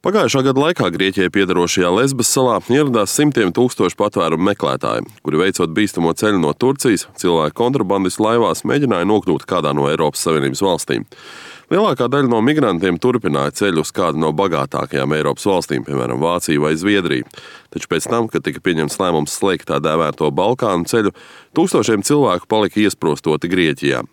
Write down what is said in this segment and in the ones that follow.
Pagājušā gada laikā Grieķijai piederošajā Lesbas salā ieradās simtiem tūkstošu patvērumu meklētāju, kuri veicot bīstamo ceļu no Turcijas, cilvēku kontrabandistu laivās mēģināja nokļūt kādā no Eiropas Savienības valstīm. Lielākā daļa no migrantiem turpināja ceļu uz kādu no bagātākajām Eiropas valstīm, piemēram, Vāciju vai Zviedriju. Taču pēc tam, kad tika pieņemts lēmums slēgt tā dēvēto Balkānu ceļu, tūkstošiem cilvēku palika iesprostoti Grieķijā.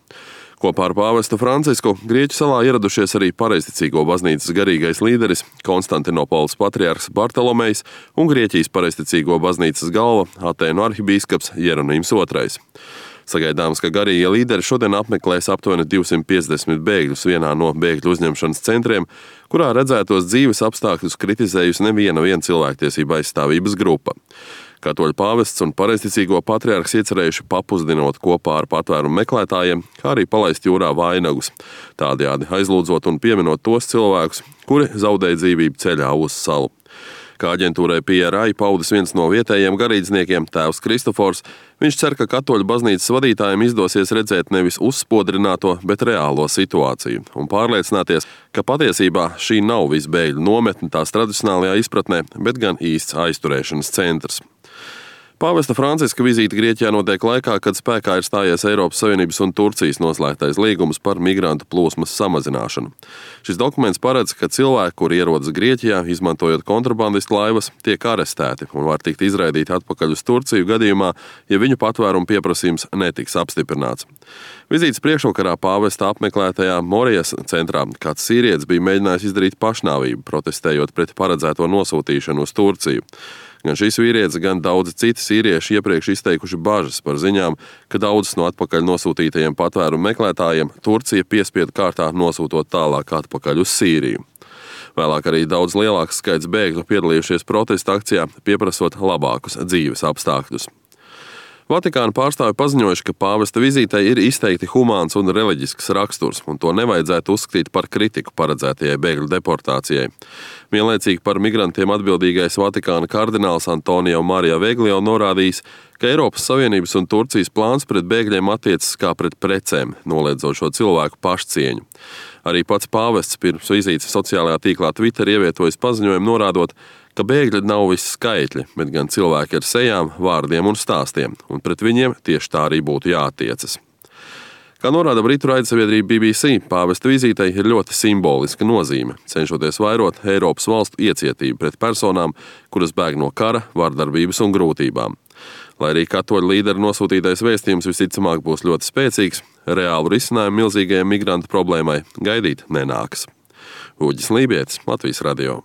Kopā ar pāvestu Francisku Grieķu salā ieradušies arī pareizticīgo baznīcas garīgais līderis Konstantinopoles patriarhs Bartolomejs un Grieķijas pareizticīgo baznīcas galva Atēnu arhibīskaps Jeronīms II. Sagaidāms, ka garīgie līderi šodien apmeklēs aptuveni 250 bēgļus vienā no bēgļu uzņemšanas centriem, kurā redzētos dzīves apstākļus kritizējusi neviena cilvēktiesība aizstāvības grupa. Katoļu pāvests un pareizticīgo patriarhs iecerējuši papusdinot kopā ar patvērumu meklētājiem, kā arī palaist jūrā vainagus, tādējādi aizlūdzot un pieminot tos cilvēkus, kuri zaudēja dzīvību ceļā uz salu. Kā aģentūrai PRI paudis viens no vietējiem garīdzniekiem, tēvs Kristofors, viņš cer, ka katoļu baznīcas vadītājiem izdosies redzēt nevis uzspodrināto, bet reālo situāciju un pārliecināties, ka patiesībā šī nav visbēgļu nometne tās tradicionālajā izpratnē, bet gan īsts aizturēšanas centrs. Pāvesta Franciska vizīte Grieķijā notiek laikā, kad spēkā ir stājies Eiropas Savienības un Turcijas noslēgtais līgums par migrantu plūsmas samazināšanu. Šis dokuments paredz, ka cilvēki, kuri ierodas Grieķijā, izmantojot kontrabandistu laivas, tiek arestēti un var tikt izraidīti atpakaļ uz Turciju gadījumā, ja viņu patvērumu pieprasījums netiks apstiprināts. Vizītes priekšvakarā pāvesta apmeklētajā Morijas centrā kāds sīrietis bija mēģinājis izdarīt pašnāvību, protestējot pret paredzēto nosūtīšanu uz Turciju. Gan šīs vīrietis, gan daudzi citi sīrieši iepriekš izteikuši bažas par ziņām, ka daudzus no atpakaļ nosūtītajiem patvērumu meklētājiem Turcija piespiedu kārtā nosūtot tālāk atpakaļ uz Sīriju. Vēlāk arī daudz lielāks skaits bēgļu piedalījušies protesta akcijā, pieprasot labākus dzīves apstākļus. Vatikāna pārstāvi paziņojuši, ka pāvesta vizītei ir izteikti humāns un reliģisks raksturs, un to nevajadzētu uzskatīt par kritiku paredzētajai bēgļu deportācijai. Vienlaicīgi par migrantiem atbildīgais Vatikāna kardināls Antonio Maria Veglio norādījis, ka Eiropas Savienības un Turcijas plāns pret bēgļiem attiecas kā pret precēm, noliedzot šo cilvēku pašcieņu. Arī pats pāvests pirms vizītes sociālajā tīklā Twitter ievietojis paziņojumu norādot, ka bēgļi nav visi skaitļi, bet gan cilvēki ar sejām, vārdiem un stāstiem, un pret viņiem tieši tā arī būtu jāattiecas. Kā norāda britu raidsabiedrība BBC, pāvesta vizītei ir ļoti simboliska nozīme, cenšoties vairot Eiropas valstu iecietību pret personām, kuras bēg no kara, vardarbības un grūtībām. Lai arī katoļu līderu nosūtītais vēstījums visticamāk būs ļoti spēcīgs, reālu risinājumu milzīgajai migrantu problēmai gaidīt nenāks. Uģis Lībietis, Latvijas radio.